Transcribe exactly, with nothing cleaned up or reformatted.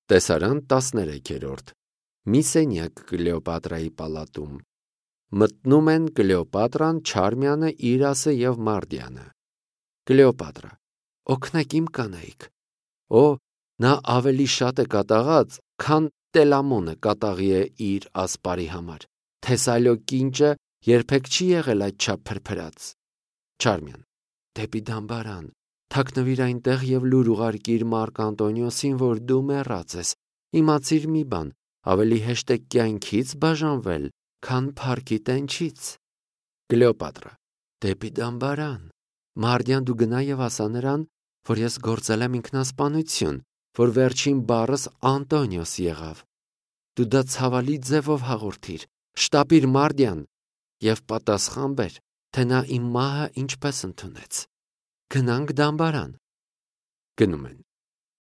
Տեսարան տասներեքերորդ Մի սենյակ Կլեոպատրայի պալատում։ Մտնում են Կլեոպատրան, Չարմյանը, Իրասը և Մարդիանը։ Կլեոպատրա. Օգնեք իմ կանայք։ Օ, նա ավելի շատ է կատաղած, քան Տելամոնը կատաղի է իր ասպարի համար։ Թեսալիո կինճը երբեք չի եղել այդչափ փրփրած։ Չարմյան. Դեպի դամբարան, թաքնվիր այնտեղ և լուր ուղարկիր Մարկ Անտոնիոսին, որ դու մեռած ես։ Իմացիր մի բան, ավելի հեշտ է կյանքից բաժանվել, քան փառքի տենչից։ Կլեոպատրա. Դեպի դամբարան։ Մարդյան, դու գնա և ասա նրան, որ ես գործել եմ ինքնասպանություն, որ վերջին բառս Անտոնիոս եղավ։ Դու դա ցավալի ձևով հաղորդիր, շտապիր Մարդյան և պատասխան բեր, թե նա իմ մահը ինչպես ընդունեց։ Գնանք դամբարան։ Գնում են։